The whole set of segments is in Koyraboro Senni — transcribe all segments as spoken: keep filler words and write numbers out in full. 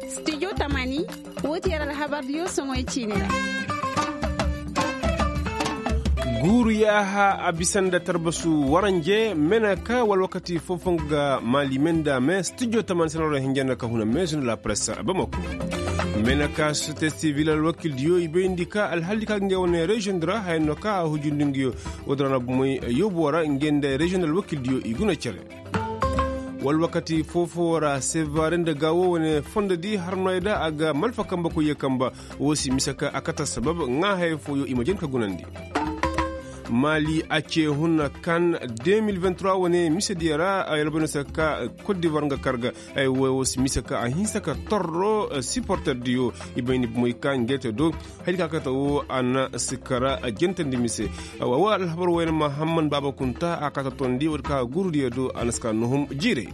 Studio tamani, woo ti yer alhabardiyo soŋoy ciini ra. Guuru yaaha a bisa nda tarbasu waranje mena ka wala wakati foofoŋ ga maali me nda me studio tamani sanaroo hinja nda ka huna meesu nda la presse bamako. Mena ka société civile alwakildiyo i bayndi ka alhaldi ka ga ngey wane reziyoŋ di ra haya no ka a hujundi nguyo. Woo din ra na bumey yoobu ra ngey nda reziyoŋ alwakildiyo i guna cere. Wala wakati foo-foo ra sevare nda gaawo wane fondo di har no ay da a ga malfa kambe koyye kamba. Woo si mise ka a kate assabab ŋaa haya fooyo i ma jin ka gunandi. Maali a ce huna kan de mil vingt trois wane mise diya ra a yalba no se ka kot divar nga kar ga. Ay woo si mise ka a hinsa ka torro siporter diyo i bay ni bumoy ka ngey te do. Hay di ka kate woo a na si kara jentandi mise. Woo alhabar wayna mahamman baaba kunta a kate tondi woo di ka guuru diya do a na si ka nuhum jiiray.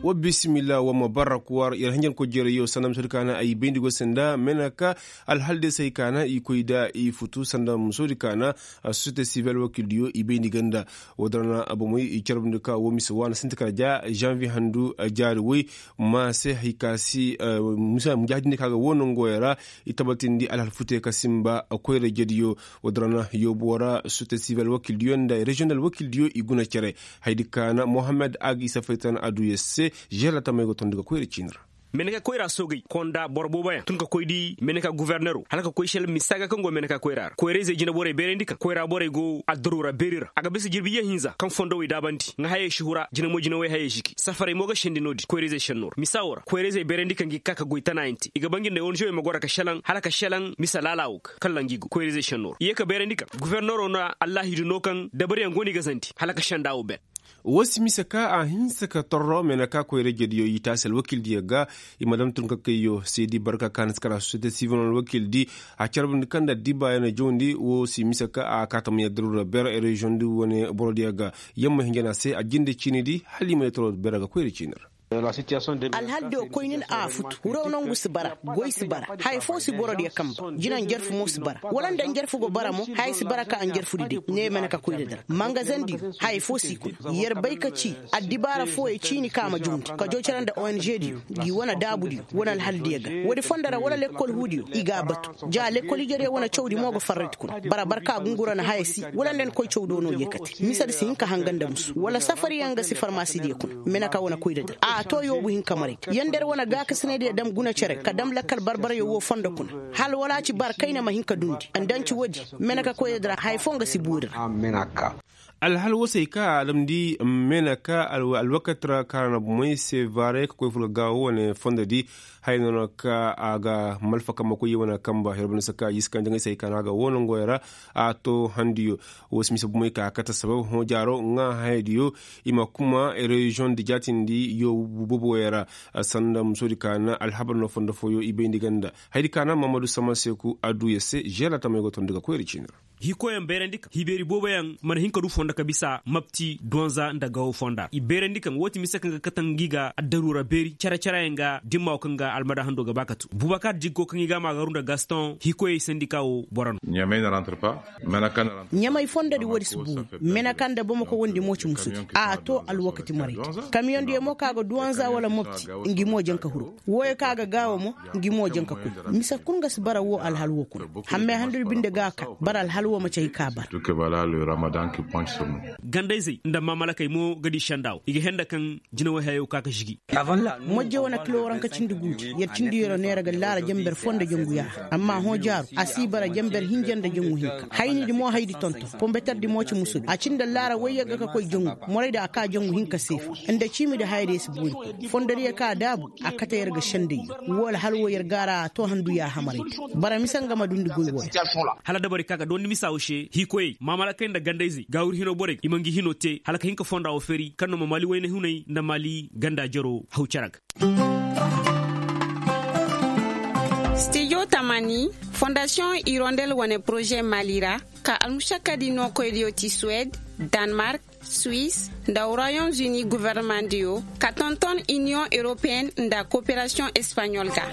Wa bisimilla wa ma barra kuwar yer hinjankoy jerayyo sanda misoodi ka na ay bayndi goy se nda mena ka alhaldesey ka na i koy da i futu sanda misoodi ka na sosiyete sivil wakiildiyo i bayndi ganda. Woo din ra na bomoy i carbundi ka woo mise waana sinti kala ja janviye handu jaari woy ma se hay ka si mujaahidindiyo ka ga woo nongoyo ra i tabatindi alhal futey ka sinba koyra jediyo. Woo din ra na yoobuwo ra sosiyete sivil wakiildiyo nda reziyonal wakiildiyo i guna cere. Hayadi ka na mohammed ag isa faytan aduya se žeer ra tamey go tondi ga koyra ciini ra. Mene ka koyra soogay konda boro booboyaŋ tun ka koy di mene ka gofornero hala ka koy sel misa ga kaŋ go mene ka koyra ra koyra-izey jine borey beerandi kaŋ koyra borey go addaru ra beeri ra a ga bisa jirbi yee hinza kaŋ fondo wey daabandi ŋa hayey si hura jine mo jine wey hayey si ki safarey mo ga sendi no-din koyra-izey senno ra misa wo ra koyra-izey beerandi kaŋ gi ka ka goy tanayaŋ te i ga ba ngi nda onžewey ma goro ka selaŋ hala ka selaŋ misa laala wo ga kaŋ ra ngi go koyra-izey senno ra i yee ka beerandi kaŋ gofornero na allaahidi no kaŋ dabariyaŋ go no i ga zandi hala ka senda wo ben. Woo si mise ka a hinsa ka torro mene ka koyra-ijediyo i taasi alwakiildiyo ga i ma dam tun ka kayyo seedi barka ka na si kara sosiyete sivilon alwakiildi a carbandi kaŋ nda addibaayaŋ na jawndi woo si mise ka a kaata ma yaddaru ra ber reziyoŋ di wane borodiyo ga yamma hinja na se a jinde ciini di hala i ma yaddaru ra ber ga koyra ciini ra. Alhaldiyo koynin a futu wuraw nongu si bara goy si bara haya foo si borodiyo kamba jina njarfu mo si bara wala nda njarfu go bara mo haya si bara ka njarfudi day ne mene ka koyra di ra mangazandiyo haya foo si kuna yer bay ka ci addibaara fooyo ciini ka ma jawndi ka joo cere nda ongdiyo ngi wane daabudiyo wane alhaldiyo ga woodi fondo ra wala lekkol huudiyo i g'a batu ja lekkol ijediyo wane cawdi mo ga farrati kuna bara barka gungura na haya si wala nda ni koy caw do no yeekate misedi si hin ka hanga nda musu wala safariyaŋ ga si farmasidiyo kuna mene ka wane koyra di ra a too yoobu hinka maray yee nda yer wane gaakasinaydiyo dam guna cere ka dam lakkal barbaryo woo fondo kuna hala wala a ci bara kayna ma hin ka dundi nda nci woodi mene ka koyra di ra haya foo nga si boori ra. Alhal wasey ka a damndi meenaka alwakati ra ka ra na bomey sevare ka koy fur ga gaawo wane fondo di haya no no ka a ga malfa kambe koy wane kamba herbinisa ka yiskandi nga se hay ka no a ga woo nongoyo ra. A to handiyo woo si mise bomey ka a kate sabab hõ jaaro ŋaa hayadiyo i ma kuma reziyoŋ di jaatindi yoobu booboyo ra. Sanda musoodi ka na alhabar no fondo fooyo i bayndi ganda hayadi ka na mahamadu sama seeku adduya se žeera tamey go tondi ga koyra ciini ra. Hikoyaŋ bayrandi kaŋ hibeeri booboyaŋ mana hin ka du fondo ka bisa mapti donza nda gawo fonda i bayrandi kaŋ woo ti mise kaŋ ga kate ngi ga addaruura beeri care-careyaŋ ga dimma wo kaŋ ga almada hando ga ba ka tu bubakar jiggo kaŋ i ga a ma garu nda gaston hikoyey sandika wo boro no. Ɲamay fondodi woodi si buuru mena kaŋ nda bamako wondi mo ci musudi a to alwakati maray di kamiyoŋdiyo mo kaŋ a ga duwanza wala mopti ngi mo jaŋ ka huru wooyo kaŋ a ga gaawo mo ngi mo jaŋ ka koy mise kul nga si bara woo alhal woo kuna hammey handudi binde ga a ka bara alhal woo ma ci hay ka bara. Gandayzey nda maamalakey mo ga di senda wo i ga henda kaŋ jinawey hayo ka ka žigi. Mojje wane kilo waranka cindi guudi yer cindi yeroo neera ga laara jenber foo nda jangu yaaha amma hõ jaaru a si bara jenber hinja nda jangu hinka hayni di mo haydi tonton pombeter di mo ci musudi a ci nda laara woyyaŋ ga ka koy jangu morey di a ka jangu hinka seefa nda ciimi di hayadiyo si boori koy fondodiyo ka a daabu a kate yer ga sendayyo woo alhal woo yer gaara a to handu yaaha marayta bara mise nga ma dundi goy wooyo. Hala dabari ka ga dondi misa wo se hiikoyey maamalakey nda gandayzey gaawur hinoo borey i ma ngi hinoo te hala ka hin ka fonda wo feeri kaŋ no ma maali wayne hunay nda maali ganda jeroo haw cere ga. Stijo tamani fondasiyoŋ irondel wane poroze maali ra ka almušakkadi nookoydiyo ti suwed, danmark, suis, nda royaume-uni governemandiyo ka tonton iniyoŋ europeyenne nda koperasiyoŋ espaɲol ga.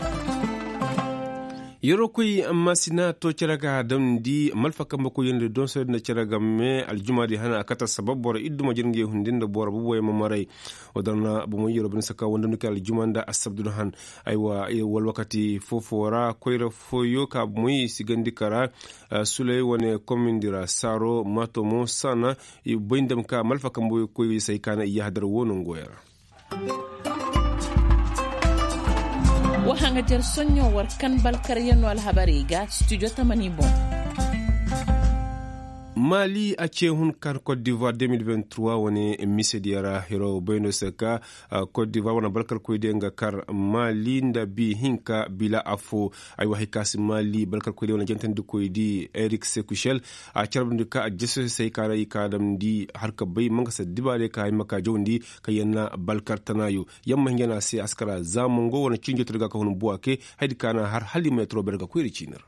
Yeroo koy maasina to cere ka a damndi malfa kambe koy yandi donso yandi nda cere game aljumaadi hana a kate sabab boro iddu ma jir ngey hundi nda boro boboyaŋ ma maray. Wa darna bomoy yeroo bine saka wanda nuke aljuma nda assabdu nda han. Aywa, walwakati foo-foo ra koyra fooyo ka bomoy si gandi kara. Suley wane komindi ra saaro maato mo saana. I bay nda ma ka malfa kambe koy say kaana i yaha dar woo nongoyaŋ ra. Wa haŋajer soɲõ war kan balkaryaŋ no alhabarey ga studio tamani boŋ. Maali a ce hun kan kot divoir de mil vingt trois wane misediya ra hiro bayno se ka kot divoir wane balkarkoy diyaŋ ga kar maali nda bi hinka bila affo. Ay wa hay ka si maali balkarkoy diyaŋ wane jantandikoy di erik sekushel a carbundi ka a jeso se hay ka ra i ka damndi har ka bay manga se dibaarey ka hay ma ka jawndi. Kaŋ yaŋ na balkar tanaayo yaŋ ma hinja no a se a si kar a za mongo wane cinjo tara ga ka hun buwa ke. Haydi ka na har hala i ma yataro bere ga koyri ciini ra.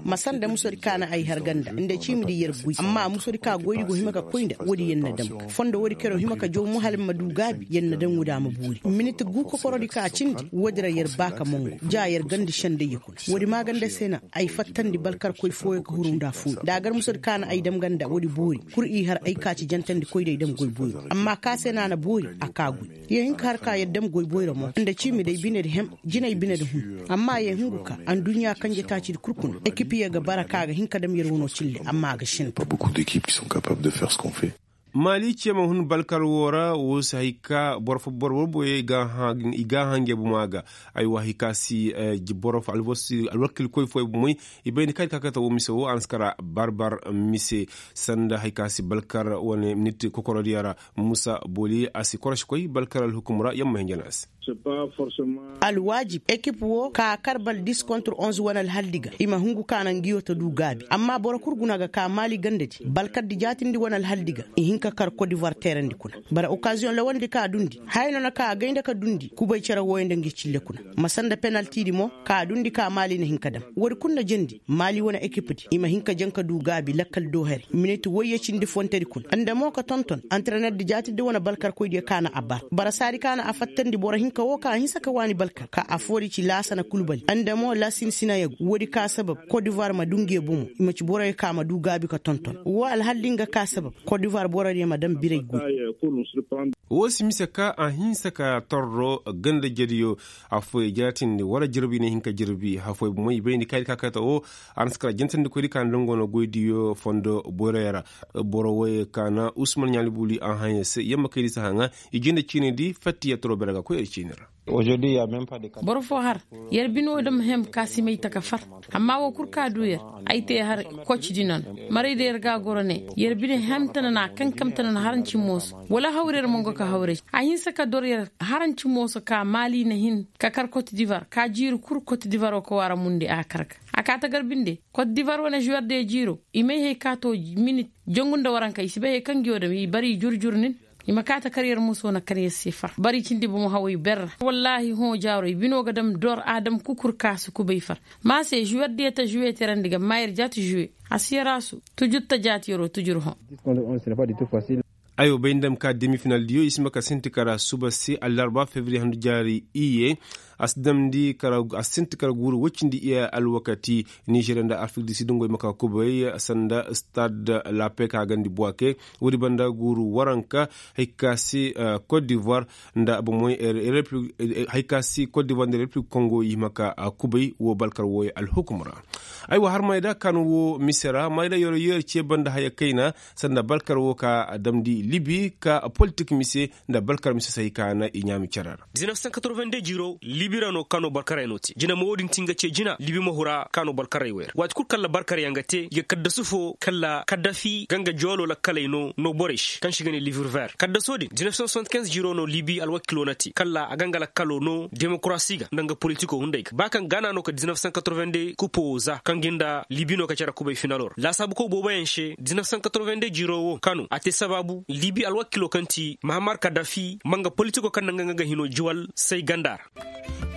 Ma sanda musodi ka na ay har ganda nda ciimi di yer goy amma musodi ka goydi go hima ka koy nda woodi yer na dam ga fondo woodi kero hima ka jaw mo hala ma du gaabi yer na dam woodi a ma boori minit gu kokorodi ka cindi woodi ra yer ba ka mongo ja yer gandi sendayya kuna. Woodi maaganda se na ay fattandi balkarkoy fooyo ka huru nda fooyo nda a gar musodi ka na ay dam ganda woodi boori. Kul i har ay ka ci jantandi koy day dam goy boyro amma ka se no a na boori a ka goy. Yee hin ka har ka yadda ma goy boyro mo nda ciimi day binedi hem jinay binedi hun. Amma yee hin go ka anduɲɲa kanje taacidi kul kuna ekip yee ga bara ka a ga hin ka dam yer wanoo cille amma a ga sinda. Maali cee ma hun balkar woo ra woo si hay ka boro fo boro boro boyey i ga a hange bomo a ga. Aywa hay ka si boro fo alwakilkoy fooyo bomoy i bay ni kay ka kate woo mise woo a na si kar a barbar mise. Sanda hay ka si balkar wane minit kokorodiya ra muusa booli a si korosi koy balkar alhukum ra yamma hinja no a se. Alwaajib ekip woo ka kar bal dis kontre onze wane alhaldi ga i ma hungu ka na ngiyo ta du gaabi amma boro kul guna ga ka maali gandadi balkaddi jaatindi wane alhaldi ga i hin ka kar kodivar teerandi kuna. Bara okaziyoŋ lawandi ka dundi haya no na ka a gay nda ka dundi kubay cere wooyo nda ngi cille kuna. Ma sanda penaltidi mo ka dundi ka maali na hin ka dam woodi kul na jandi maali wane ekipdi i ma hin ka jaŋ ka du gaabi lakkal do haray minit woyye cindi fontedi kuna nda mo ka tonton antrenerdi jaatiddi wane balkarkoydiyo ka na a bar bara saadi ka na a fattandi boro hinka wo ka a hinsa ka waani balkar ka affoodi ci laasana kulbali nda mo lasin sinayagu woodi ka sabab kodivar ma du ngiyo bomo i ma ci boroyo ka ma du gaabi ka tonton woo alhalli nga ka sabab kodivar borodiyo ma dam biray guy. Woo si mise ka a hinsa ka torro ganda jediyo. Afooyey jaatindi wara jirbi ne hin ka jirbi afooyey bomoy i bayndi kaydi ka kate woo. A na si kara jantandikoydi ka na dango no goydiyo fondo boyroyo ra. Boro wooyey ka na usman ɲaali buuli a haŋ yer se yer ma kaydi si haŋa i jinde ciinidi fatti yer toro bere ga koy yer ciini ra. Boro foo har yer bine woo dam hem ka si may taka far. Amma woo kul ka du yer ay te har kocidi no na maray da yer ga a goro ne yer bine hemtana na kankamtana na haranci mooso wala hawra yer ma nga ka hawra ci a hinsa ka dor yer haranci mooso ka maali na hin ka kar kot divar ka jiiri kul kot divar woo ka waara mundi a kar ga a ka tagar binde kot divar wane zuwer de jiiro i may hay ka to minit jangu nda waranka i si bay hay kaŋ gi woo dam i bari i jur-jur nin. I ma kaata kar yer muso na kar yer se far bari cindi bomo haway berra wallaahi hõ jaaro i bino ga dam dor a dam kukur kaasu kubay far. Ma se zuwer diya ta zuwe terandi ga ma yer jaati zuwe a si yer a su tujur ta jaati yeroo tujur hõ. Ay wo bay nda ma ka demi final diyo i si ma ka sinti kara suba se allarba fevriye handu jaari iye. A si damndi kara a si sinti kara guuru woy cindi iye alwakati. Nizeeriya nda afrik di sid ngoy ma ka kubay sanda stad lape ka gandi buwake. Woodi banda guuru waranka hay ka se kot divoir nda bomoy hay ka se kot divoir nda repiblik kongo i hima ka kubay woo balkar wooyo alhukum ra. Aywa har mayda kan woo mise ra mayda yoro yoro ce banda haya kayna sanda balkar woo ka damndi libi ka politik mise nda balkar mise se hay ka na i ɲaami cere ra. Libi ra no kaŋ no barkaray no te jina ma woodin ti nga ce jina libi ma hura kaŋ no barkaray wey ra waati kul kaŋ ra barkaryaŋ ga te i ga kaddasu fo kaŋ ra kaddafi ga nga joolo lakkaley no no borey se kaŋ se i ga ne libi ver kaddaso din dix-neuf cent soixante-quinze jiro no libi alwakilo na te kaŋ ra a ga nga lakkalo no demokarasi ga nda nga politiko hunday ga ba kaŋ gaana no ka dix-neuf cent quatre-vingt-deux kupo wo za kaŋ ga nda libi no ka care kubay finalo ra laasaabu koy booboyaŋ se dix-neuf cent quatre-vingt-deux jiro wo kano a te sabaabu libi alwakilo kaŋ ti mahammad kaddafi ma nga politiko kaŋ naŋ ga nga ga hino juwal say ganda ra.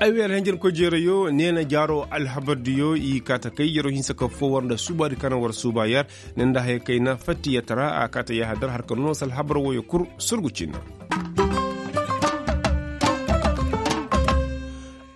Ay wer henjen ko jeerayo neena jaaro alhabardiyo i kaata kay yero hinsa ka fo war nda suubaadi kaŋ war suuba yer ne nda haya kayna fatti yatara a kaata yahadar har ka noos alhabar woyo kul surgu ciina.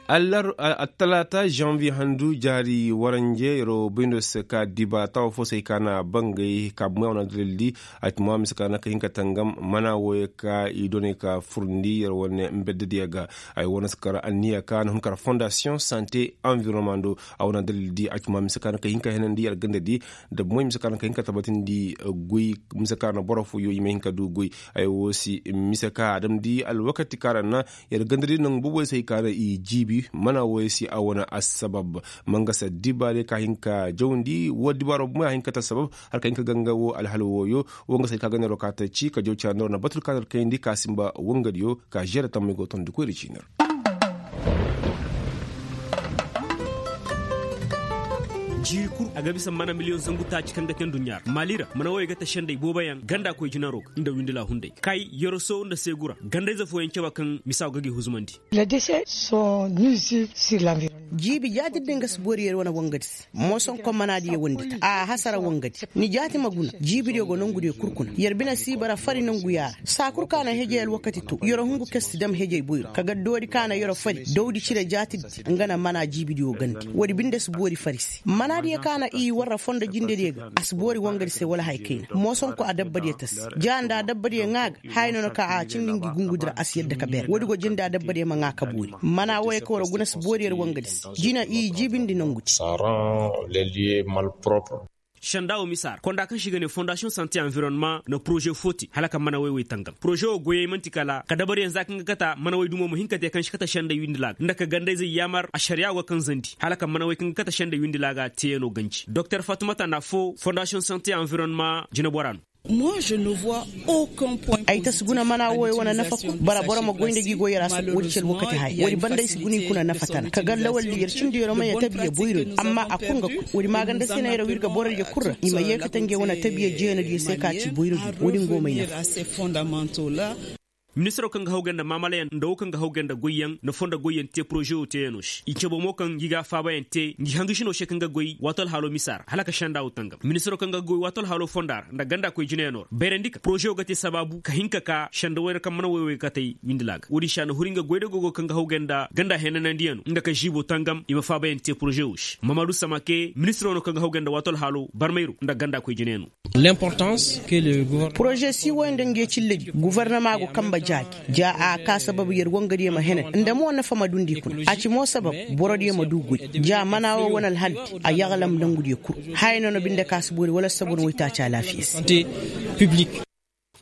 Attalaata zanviye handu jaari waranje yer wo bayndo se ka diba taawa fo se hay ka na bangay ka bumey a wane dalil di. A ci ma mise ka na ka hin ka tangam mana wooyo ka i doney ka furndi yer wane mbeddediyo ga. Ay wane si kar anniya ka na hun kar fondasiyoŋ sante anvironmando a wane dalil di a ci ma mise ka na ka hin ka henandi yer ganda di. Da bumey mise ka na ka hin ka tabatindi goy mise ka na boro fooyo i ma hin ka du goy. Ay wo si mise ka a damndi alwakati ka ra na yer ganda di nangu booboy se hay ka na i jiibi mana wooyo se a wane assabab. Ma nga se dibaarey ka hin ka jawndi wo dibaaro bumey a hin ka ta sabab hala ka hin ka ganga wo alhal wooyo. Wo nga se hay ka ga neeroo ka ta ci ka jaw ci a neeroo na batul ka neer kayandi ka sinba wangadiyo ka žere tammey go tondi koyri ci neer. Jiiri kul a ga bisa mana miliyoŋ zangu taaci kaŋ ga te nduɲɲa ra maali ra mana woyey ga ta sendey booboyaŋ ganda koy jinaroo ga nda windila hunday kay yoroso nda seegu ra gandayze fooyaŋ cawa kaŋ misa go ga gi huzumandi. Jiibi jaati din ga si boori yer wane wangadi se. Moosonko mana diyo wandi ta a hasara wangadi ni jaati ma guna jiibidiyo go nongudiyo kul kuna yer bine si bara fari nonguya ra saa kul ka na hejey alwakati to yer hungu kasti dam hejey boyro ka ga doori ka na yer fari dawdi cire jaatidi. Nga na mana jiibidiyo gandi woodi binde si boori fari se mana diyo ka na i warra fondo jindediyo ga a si boori wangadi se wala haya kayna moosonko adabbadiyo ta se ja nda adabbadiyo ŋaa ga haya no na ka a cindi ngi gungudi ra a si yadda ka beera woodi go jinde adabbadiyo ma ŋaa ka boori mana wooyo kaŋ war guna si boori yer wangadi se jina i jiibindi nongudi. Sanda wo misa ra konda kaŋ se i ga ne fondasiyoŋ sante anvironma na poroze fo te hala ka mana woy woy tangam poroze wo goyey man'ti kala ka dabaryaŋ za kaŋ ga kata mana woy dumo ma hin ka te kaŋ se kata sendey windila ga nda ka gandayzey yaamar ašariyaa wo kaŋ zandi hala ka mana woy kaŋ ga kata sendey windila ga teeyanoo ganji doktor fatumata na foo fondasiyoŋ sante anvironma jineboraa no. Ay ta si guna mana wooyo wane nafa kul bara boro ma goy nda gi goyey ra se woodi ci alwakati haya woodi banda ay si guna i kuna nafa tana ka gar lawaldi yer cindi yeroo may a tabiya boyrodi amma a kul nga kul woodi maaganda se no yer wa ir ga borodiyo kul ra i ma yeekate ngey wane tabiya jeenadiyo se ka ci boyrodi woodi nga wo may nafa. Ministiroo kaŋ ga hawgay nda maamalayaŋ nda woo kaŋ ga hawgay nda goyyaŋ nda fondo goyyaŋ te poroze woo teeyanoo se i ceboo mo kaŋ ngi ga a faabayaŋ te ngi hangasinoo se kaŋ ga goy waatoo alhaaloo misa ra hala ka senda woo tangam ministiroo kaŋ ga goy waatoo alhaaloo fonda ra nda ganda koy jinayaŋoo ra bayrandi ka poroze woo ga te sabaabu ka hin ka kaa senda wayra kaŋ mana woy woy katey windila ga woodi se a na huri nga goydagoogoo kaŋ ga hawgay nda ganda henanandiyaŋoo nda ka ziiboo tangam i ma faabayaŋ te poroze woo se mamadu samake ministiroo no kaŋ ga hawgay nda waatoo alhaaloo barmayroo nda ganda koy jinayaŋoo. Poroze si woy nda ngey cilledi gofornama go kanbe ja gi ja a kaa sabab yer wangadiyo ma henandi nda mo nafa ma dundi kuna a ci mo sabab borodiyo ma du goy ja mana wo wane alhaldi a yaxalam nongudiyo kul haya no na binde ka si boori wala sabon woytaaci alaafiya se.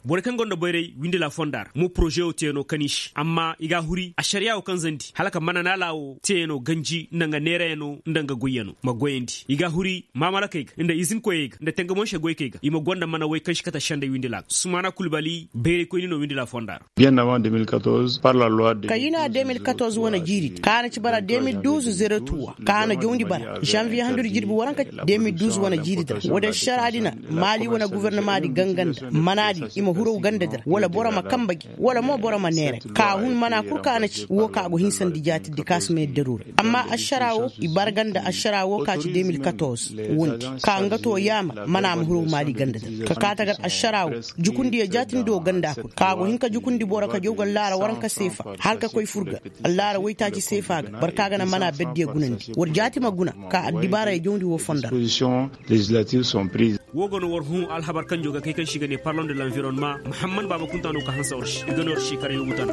Borey kaŋ gonda bayray windila fonda ra mo poroze wo teenoo kani se amma i ga a huri ašariyaa wo kaŋ zandi hala ka mana naalaa wo teeyanoo ganji nda nga neerayanoo nda nga goyyanoo ma goyandi i ga a huri maamalakey ga nda izinkoyey ga nda tengamonse goykey ga i ma gonda mana woy kaŋ si kate sendey windila ga sumaana kulbali bayraykoyni no windila fonda ra. Ka yina de mil katorze wane jiiridi ka na ci bara de mil duuz zero trois ka na jawndi bara zanviye handudi jirbi waranka de mil duuz wane jiiridi ra woodi ašaraadi na maali wane gofornamaadi ganganda manaadi i ma huru gandadi ra wala boro ma kanbe gi wala mo boro ma neera ka hun mana kul ka na ci woo ka go hinsandi jaatidi ka si may daruura amma ašaraa woo i barga nda ašaraa woo ka ci de mil katorze wondi ka nga too yaamar mana ma huru maali gandadi ra ka kaa tagar ašaraa woo jukundiyo jaatindi woo ganda kul ka go hin ka jukundi boro ka jaw ga allaara waranka seefa hala ka koy fur ga allaara woytaaci seefa ga boro ka ga na mana beddiyo gunandi war jaati ma guna ka addibaarayo jawndi woo fonda ra. Woo go no war hõ alhabar kanjoo ga kay kaŋ se i ga ne parlon de lanvironma muhamman baaba kunta no ka hanse war se i ga no war se kar yoogu tana.